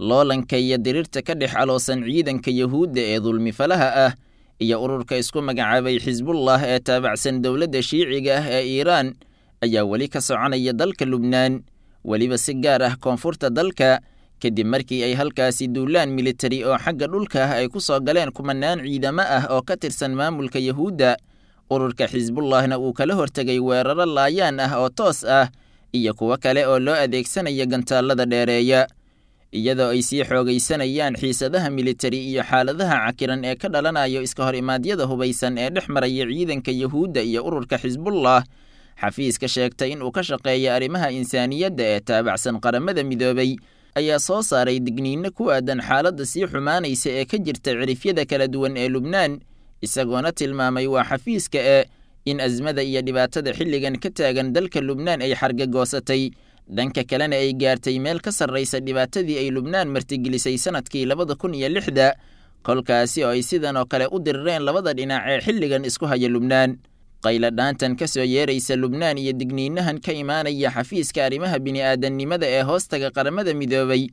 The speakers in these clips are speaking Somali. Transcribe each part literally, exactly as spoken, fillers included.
Loolanka iyo diriirta ka dhex aloosan ciidanka Yahuudda ee dulmifalaha ah iyo ururka isku magacaabay Xisbullah ee taabacsan dowladda Shiiciga ah ee Iiraan ayaa weli ka soconaya dalka Lubnaan, weliba si gaar ah koonfurta dalka, kadib markii ay halkaasi duulaan militari oo xagga dhulka ah ay ku soo galeen kumanaan ciidamo ah oo ka tirsan maamulka Yahuudda. Ururka Xisbullahna uu kala hortegay weeraro laayaan ah oo toos ah iyo kuwo kale oo loo adeegsanaya gantaallada dheereeya, iyadoo ay sii xoogaysanayaan xiisadaha militari iyo xaaladaha cakiran ee ka dhalanayo iska hor imaadyada hubaysan ee dhex maraya ciidanka Yahuudda iyo ururka Xisbullah. Xafiiska sheegtay in uu ka shaqeeya arrimaha insaaniyadda ee taabacsan Qaramada Midoobay ayaa soo saaray digniino ku aadan xaaladda sii xumaanaysa ee ka jirta cirifyada kala duwan ee Lubnaan, isagoona tilmaamay waa xafiiska ee in azmada iyo dhibaatada xilligan ka taagan dalka Lubnaan ay xargagoosatay, dhanka kalena ay gaartay meel ka sarraysa dhibaatadii ay Lubnaan martigelisay sanadkii labada kun iyo lixda, kolkaasi oo ay sidan oo kale u dirireen labada dhinac ee xilligan isku haya Lubnaan. Qayladhaantan ka soo yeeraysa Lubnaan iyo digniinahan ka imaanaya xafiiska arrimaha bini'aadannimada ee hoostaga Qaramada Midoobay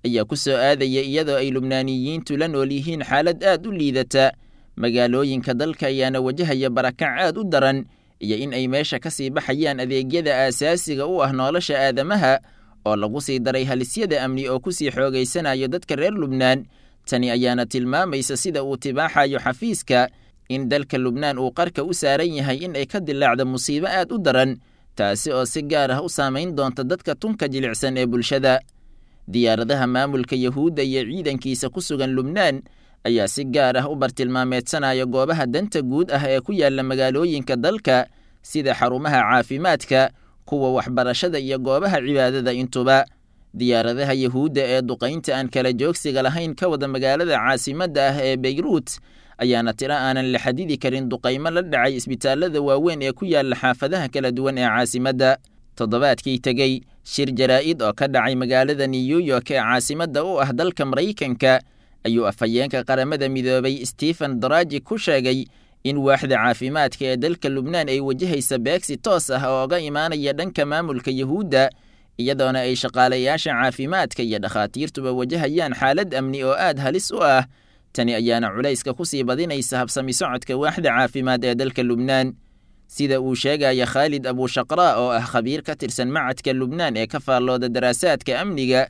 ayaa ku soo aadaya iyadoo ay Lubnaaniyiintu la nool yihiin xaalad aad u liidata. Magaalooyinka dalka ayaana wajahaya barakac aad u daran iyo in ay meesha ka sii baxayaan adeegyada aasaasiga u ah nolosha aadamaha, oo lagu sii daray halisyada amni oo ku sii xoogaysanayo dadka reer Lubnaan. Tani ayaana tilmaamaysa sida uu tibaaxayo xafiiska in dalka Lubnaan uu qarka u saaran yahay in ay ka dilaacdo musiibo aad u daran, taasi oo si gaar ah u saamayn doonta dadka tunka jilicsan ee bulshada. Diyaaradaha maamulka Yahuudda iyo ciidankiisa ku sugan Lubnaan ayaa si gaar ah u bartilmaameedsanaya goobaha danta guud ah ee ku yaala magaalooyinka dalka, sida xarumaha caafimaadka, kuwa waxbarashada iyo goobaha cibaadada intuba. Diyaaradaha Yahuudda ee duqaynta aan kala joogsiga lahayn ka wada magaalada caasimadda ah ee Beyruut ayaana tiro aanan la xadidi karin duqaymo la dhacay isbitaalada waaweyn ee ku yaala xaafadaha kala duwan ee caasimadda. Toddobaadkii tegey, shir jaraa'id oo ka dhacay magaalada New York ee caasimadda u ah dalka Maraykanka ayuu afhayeenka Qaramada Midoobay Stephen Daraji ku sheegay in waaxda caafimaadka ee dalka Lubnaan ay wajahaysa beegsi toos ah oo oga imaanaya dhanka maamulka Yahuudda, iyadoona ay shaqaalayaasha caafimaadka iyo dhakhaatiirtuba wajahayaan xaalad amni oo aad halis u ah. Tani ayaana culayska ku sii badinaysa habsami socodka waaxda caafimaad ee dalka Lubnaan. Sida uu sheegaya Khaalid Abushaqraa oo ah khabiir ka tirsan macadka Lubnaan ee ka faallooda daraasaadka amniga,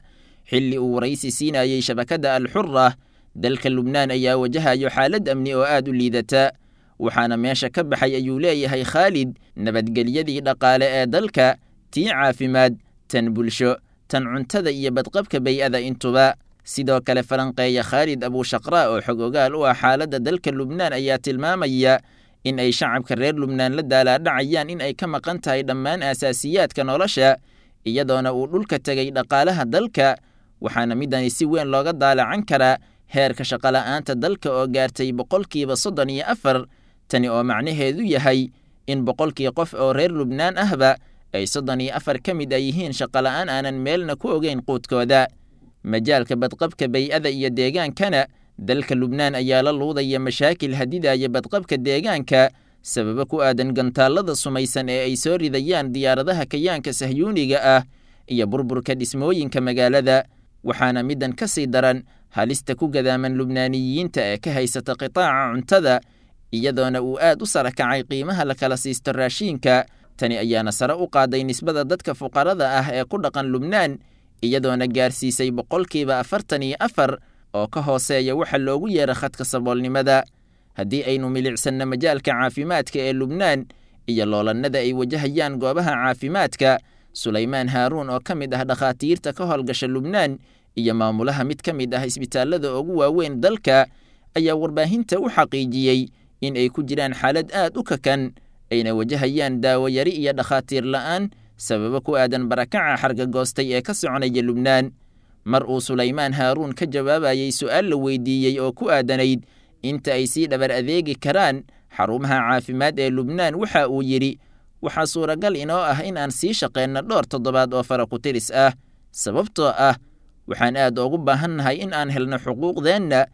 xilli uu waraysi siinayey shabakadda Alxura, dalka Lubnaan ayaa wajahayo xaalad amni oo aad u liidata, waxaana meesha ka baxay ayuu leeyahay Khaalid nabadgelyadii dhaqaale ee dalka, tii caafimaad, tan bulsho, tan cuntada iyo badqabka bay-ada intuba. Sidoo kale falanqeeya Khaalid Abushaqraa oo xog ogaal u ah xaaladda dalka Lubnaan ayaa tilmaamaya in ay shacabka reer Lubnaan la daalaadhacayaan in ay ka maqan tahay dhammaan aasaasiyaadka nolosha, iyadoona uu dhulka tegay dhaqaalaha dalka, waxaana midani si weyn looga daalacan karaa heerka shaqola'aanta dalka oo gaartay boqolkiiba soddon iyo afar. Tani oo macnaheedu yahay in boqolkii qof oo reer Lubnaan ahba ay soddon iyo afar ka mid a yihiin shaqola'aan aanan meelna ku ogeyn quudkooda. Majaalka badqabka bay-ada iyo deegaankana, dalka Lubnaan ayaa la luudaya mashaakil hadidaya badqabka deegaanka sababo ku aadan gantaallada sumaysan ee ay soo ridayaan diyaaradaha kayaanka sahyuuniga ah iyo burburka dhismooyinka magaalada, waxaana middan ka sii daran halista ku gadaaman Lubnaaniyiinta ee ka haysata qitaaca cuntada, iyadoona uu aad u sara kacay qiimaha la kala siisto raashiinka. Tani ayaana sare u qaaday nisbada dadka fuqarada ah ee ku dhaqan Lubnaan, iyadoona gaarsiisay boqolkiiba afartan iyo afar oo ka hooseeya waxa loogu yeera khadka saboolnimada. Haddii aynu milicsanno majaalka caafimaadka ee Lubnaan iyo loolannada ay wajahayaan goobaha caafimaadka, Sulaymaan Haaruun oo ka mid ah dhakhaatiirta ka howlgasha Lubnaan iyo maamulaha mid ka mid ah isbitaallada ugu waaweyn dalka ayaa warbaahinta u xaqiijiyey in ay ku jiraan xaalad aad u kakan, ayna wajahayaan daawo yari iyo dhakhaatiir la'aan sababo ku aadan barakaca xargagoostay ee ka soconaya Lubnaan. Mar uu Sulaymaan Haaruun ka jawaabayey su'aal la weydiiyey oo ku aadanayd inta ay sii dhabar adeegi karaan xarumaha caafimaad ee Lubnaan, waxa uu yidhi: waxaa suuragal inoo ah in aan sii shaqeenno dhowr toddobaad oo fara ku tiris ah, sababtoo ah waxaan aad ugu baahannahay in aan helno xuquuqdeenna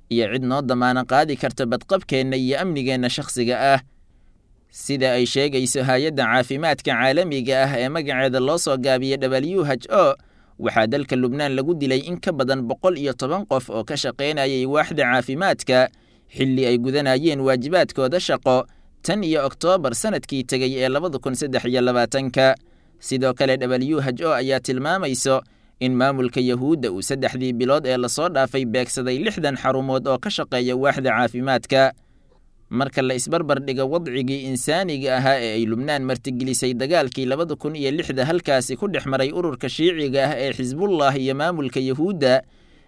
iyo cid noo damaana qaadi karta badqabkeenna iyo amnigeenna shakhsiga ah. Sida ay sheegayso hay-adda caafimaadka caalamiga ah ee magaceeda loo soo gaabiyey W H O, waxaa dalka Lubnaan lagu dilay in ka badan boqol iyo toban qof oo ka shaqaynayay waaxda caafimaadka xilli ay gudanayeen waajibaadkooda shaqo tan iyo Oktoobar sanadkii tegay ee labada kun saddex iyo labaatanka. Sidoo kale W H O ayaa tilmaamayso in maamulka Yahuudda uu saddexdii bilood ee lasoo dhaafay beegsaday lixdan xarumood oo ka shaqeeya waaxda caafimaadka. Marka la isbarbar dhigo wadcigii insaaniga ahaa ee ay Lubnaan martigelisay dagaalkii labada kun iyo lixda halkaasi ku dhex maray ururka shiiciga ah ee Xisbullah iyo maamulka Yahuudda,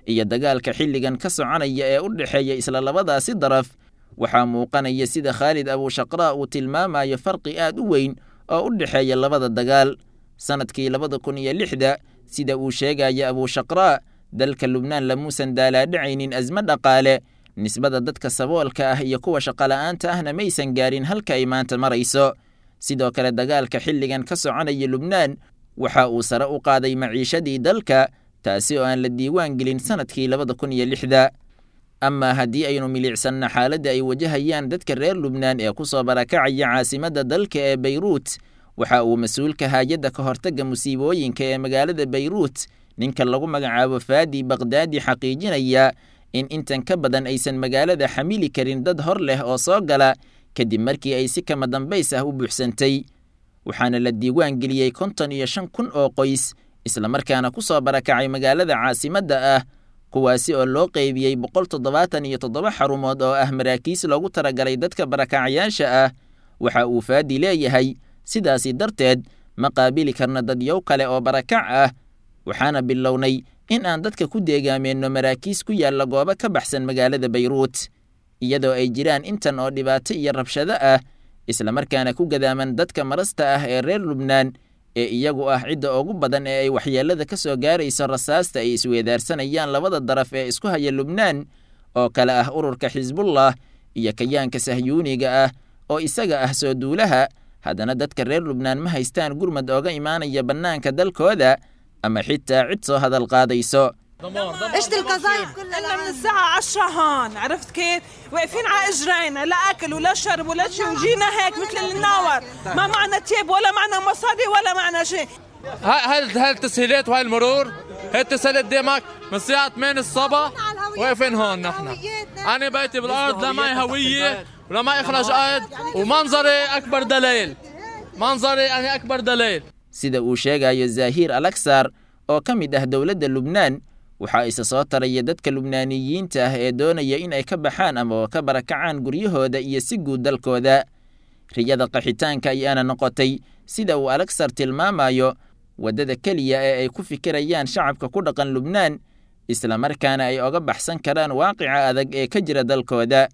iyo dagaalka xilligan ka soconaya ee u dhexeeya isla labadaasi daraf, waxaa muuqanaya sida Khaalid Abushaqraa uu tilmaamayo farqi aad u weyn oo u dhexeeya labada dagaal. Sanadkii labada kun iyo lixda, sida uu sheegaya Abushaqraa, dalka Lubnaan lamuusan daalaadhacaynin asmo dhaqaale, nisbada dadka saboolka ah iyo kuwa shaqola'aanta ahna maysan gaarin halka ay maanta marayso. Sidoo kale dagaalka xilligan ka soconaya Lubnaan waxa uu sare u qaaday maciishadii dalka, taasi oo aan la diiwaan gelin sanadkii labada kun iyo lixda. Amaa haddii aynu milicsanno xaaladda ay wajahayaan dadka reer Lubnaan ee ku soo barakacaya caasimadda dalka ee Bayruut, waxa uu mas-uulka haayadda ka hortagga musiibooyinka ee magaalada Bayruut, ninka lagu magacaabo Faadi Baqdaadi, xaqiijinaya in intan ka badan aysan magaalada xamili karin dad hor leh oo soo gala kadib markii ay si kama dambays ah u buuxsantay. Waxaana la diiwaan geliyey konton iyo shan kun oo qoys islamarkaana ku soo barakacay magaalada caasimadda ah, kuwaasi oo loo qeybiyey boqol toddobaatan iyo toddoba xarumood oo ah maraakiis loogu talagalay dadka barakacayaasha ah. Waxa uu Faadi leeyahay, sidaasi darteed ma qaabili karna dadyow kale oo barakac ah, waxaana bilownay in aan dadka ku deegaameenno maraakiis ku yaalla goobo ka baxsan magaalada Bayruut, iyadoo ay jiraan intan oo dhibaato iyo rabshado ah, islamarkaana ku gadaaman dadka marasta ah ee reer Lubnaan ee iyagu ah cidda ugu badan ee ay waxyeellada ka soo gaarayso rasaasta ay isweedaarsanayaan labada daraf ee isku haya Lubnaan oo kale ah ururka Xisbullah iyo kayaanka sahyuuniga ah oo isaga ah soo duulaha. Haddana dadka reer Lubnaan ma haystaan gurmad ooga imaanaya bannaanka dalkooda ama xitaa cid soo hadal qaadayso. اجت القذايف كلها كنا من الساعة عشرة هون، عرفت كيف؟ واقفين على اجرينا، لا اكل ولا شرب ولا شيء، وجينا هيك مثل النور، ما معنا تيب ولا معنا مصاري ولا معنا شيء. هاي هاي التسهيلات وهاي المرور، هاي التسهيلات قدامك من الساعة ثمانية الصبح واقفين هون نحن. أنا بيتي بالأرض، لا معي هوية ولا معي إخراج قيد، ومنظري أكبر دليل. منظري أنا أكبر دليل. Sida uu sheegayo Zaahir Alaksar oo ka mid ah dowladda Lubnaan, waxaa isa soo taraya dadka Lubnaaniyiinta ah ee doonaya in ay ka baxaan ama ka barakacaan guryahooda iyo si guud dalkooda. Riyada qaxitaanka ayaana noqotay, sida uu Alaksar tilmaamayo, waddada keliya ee ay ku fikirayaan shacabka ku dhaqan Lubnaan, islamarkaana ay oga baxsan karaan waaqica adag ee ka jira dalkooda.